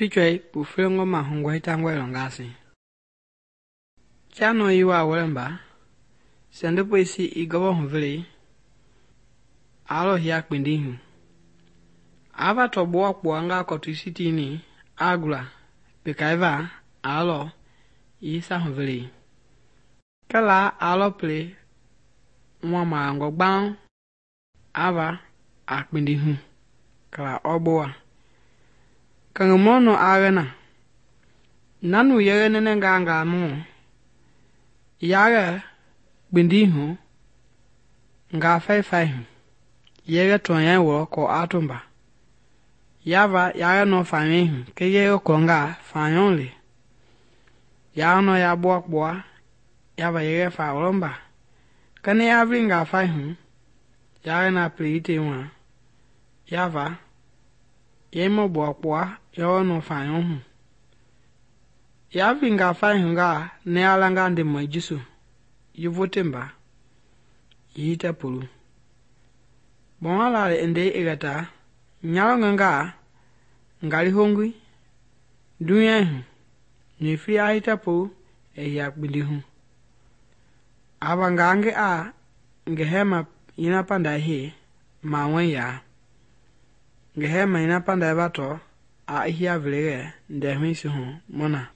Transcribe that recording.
Pichwei pufilongo mahungwa hitangwa ilongasi. Chano iwa walemba, sendupo isi igobo huvili, alo hiya kpindihu. Ava tobuwa kuanga kotu isi tini, agula, pikaiva, alo, isa huvili. Kala alo pili, maango gbang, ava, akpindihu, kala obuwa. Kangumono agena, nanu yere nenenga mu, yare kpindihu, nga fai, yere tuanya wo ko atumba. Yava yare no fanyehu, ke yere konga fanyonli. Yare no ya buwa, yava yere fa olomba. Kani yavri nga faihu, yare na priite mwa, yava, yemo buwa, yore no fanyohu. Yavri nga faihu nga ne alanga ndimo jisu, yuvutimba, yite pulu. Bonala ende igata, nyalo ngali hongwi, dunyahu, nifi ahita pulu, ya kpindihu. Ava ngange ngehema ina panda hii, mawe ya. Ngehema ina panda bato, hiya vilege, ndehmisi mona.